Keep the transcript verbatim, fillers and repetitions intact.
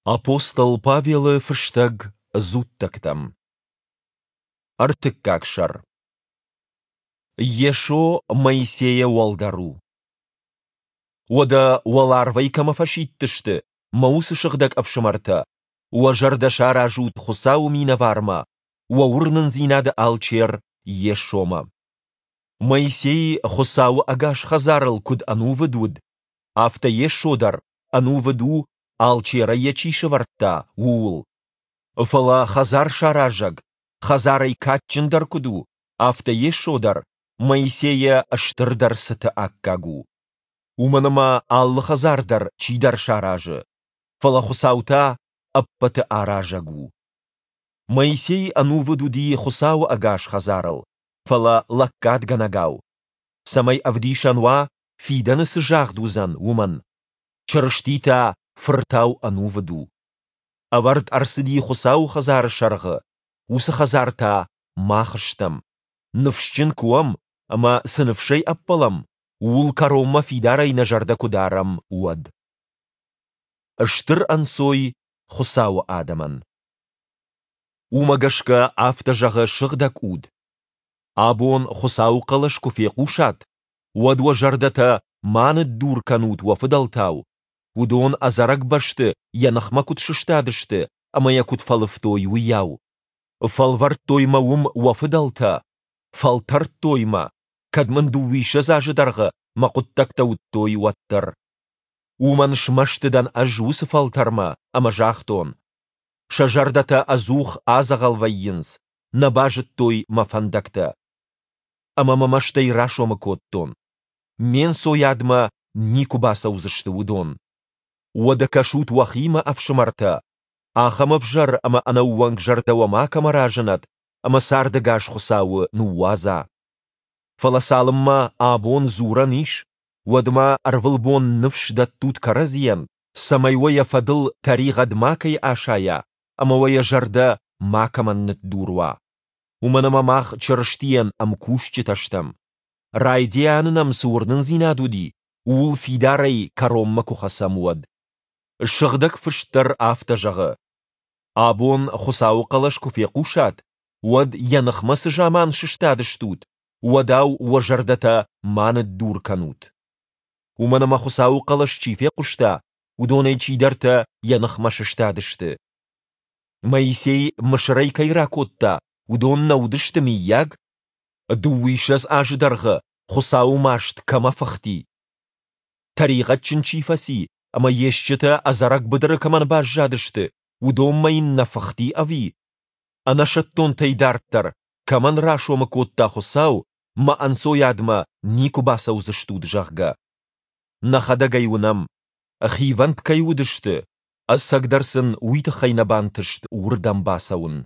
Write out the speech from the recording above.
Апостол Павелы фыстӕг Дзуттӕгтӕм. Ӕртыккаг сӕр. Йесо Моисейӕ уӕлдӕр у. Уӕдӕ уӕларвӕй кӕмӕ фӕсидтысты, мӕ уыцы сыгъдӕг ӕфсымӕртӕ, уӕ зӕрдӕ саразут Хуыцауы минӕвармӕ, уӕ уырнындзинады алчер Йесомӕ. Моисей Хуыцауы ӕгас хӕдзарыл куыд ӕнувыд уыд, афтӕ Йесо дӕр ӕнувыд у, алчерӕй йӕ чи сӕвӕрдта, ууыл. Фӕлӕ хӕдзар саразӕг хӕдзарӕй кадджындӕр куыд у, афтӕ Йесо дӕр Моисейӕ стырдӕр цыты аккаг у. Уымӕн ӕмӕ алы хӕдзар дӕр чидӕр саразы, фӕлӕ Хуыцау та ӕппӕты аразӕг у. Моисей ӕнувыд уыди Хуыцауы ӕгас хӕдзарыл, фӕлӕ лӕггадгӕнӕгау, цӕмӕй ӕвдисӕн уа, фидӕны цы загъд уыдзӕн, уымӕн. Чырысти та Фыртау ӕнувыд у. Ӕвӕрд ӕрцыди Хуыцауы хӕдзары сӕргъы, уыцы хӕдзар та мах стӕм, ныфсджын куы уӕм ӕмӕ цы ныфсӕй ӕппӕлӕм, ууыл кӕронмӕ фидарӕй нӕ зӕрдӕ куы дарӕм, уӕд. Стыр ӕнцой Хуыцауы адӕмӕн. Уымӕ гӕсгӕ афтӕ зӕгъы Сыгъдӕг Уд: Абон Хуыцауы хъӕлӕс куы фехъусат, уӕд уӕ зӕрдӕтӕ ма ныддур кӕнут уӕ фыдӕлтау, уыдон ӕдзӕрӕг бӕсты йӕ ныхмӕ куыд сыстадысты ӕмӕ йӕ куыд фӕлывтой, уыйау. Фӕлвӕрдтой мӕ уым уӕ фыдӕлтӕ, фӕлтӕрдтой мӕ, кӕд мын дыууиссӕдз азы дӕргъы мӕ хъуыддӕгтӕ уыдтой, уӕддӕр. Уымӕн смӕсты дӕн ӕз уыцы фӕлтӕрмӕ ӕмӕ загътон: сӕ зӕрдӕтӕ ӕдзух адзӕгъӕл вӕййынц, нӕ базыдтой мӕ фӕндӕгтӕ. Ӕмӕ мӕ мӕстӕй расомы кодтон: ме нцойадмӕ никуы бацӕудзысты уыдон. Уӕдӕ кӕсут уӕхимӕ, ӕфсымӕртӕ, ахӕм ӕвзӕр ӕмӕ ӕнӕууӕнк зӕрдӕ уӕ макӕмӕ разынӕд ӕмӕ цардӕгас Хуыцауы ныууадза. Фӕлӕ цалынмӕ абон дзурӕн ис, уӕдмӕ ӕрвылбон ныфс дӕттут кӕрӕдзийӕн, цӕмӕй уӕ йӕ фӕдыл тӕригъӕд макӕй асайа ӕмӕ уӕ йӕ зӕрдӕ макӕмӕн ныддур уа. Уымӕн ӕмӕ мах Чырыстийӕн ӕмкусджытӕ стӕм. Райдианы нӕм цы уырнындзинад уыди, ууыл фидарӕй кӕронмӕ куы хӕцӕм, уӕд. Сыгъдӕг Фыст дӕр афтӕ зӕгъы: Абон Хуыцауы хъӕлӕс куы фехъусат, уӕд йӕ ныхмӕ цы заман сыстадыстут, уӕдау уӕ зӕрдӕтӕ ма ныддур кӕнут. Уымӕн ӕмӕ Хуыцауы хъӕлӕс чи фехъуыста, уыдонӕй чидӕртӕ йӕ ныхмӕ сыстадысты. Моисей Мысырӕй кӕй ракодта, уыдон нӕ уыдысты, мыййаг? Дыууиссӕдз азы дӕргъы Хуыцауы маст кӕмӕ фыхти? Тӕригъӕдджын чи фӕци ӕмӕ йе стджытӕ ӕдзӕрӕг быдыры кӕмӕн баззадысты, уыдонмӕ йын нӕ фыхти ӕви? Ӕнӕсӕттонтӕй дарддӕр кӕмӕн расомы кодта Хуыцау, мӕ ӕнцойадмӕ никуы бацӕудзыстут, зӕгъгӕ? Нӕхӕдӕг ӕй уынӕм, хивӕнд кӕй уыдысты, ӕцӕгдӕр сын уый тыххӕй нӕ бантыст уырдӕм бацӕуын.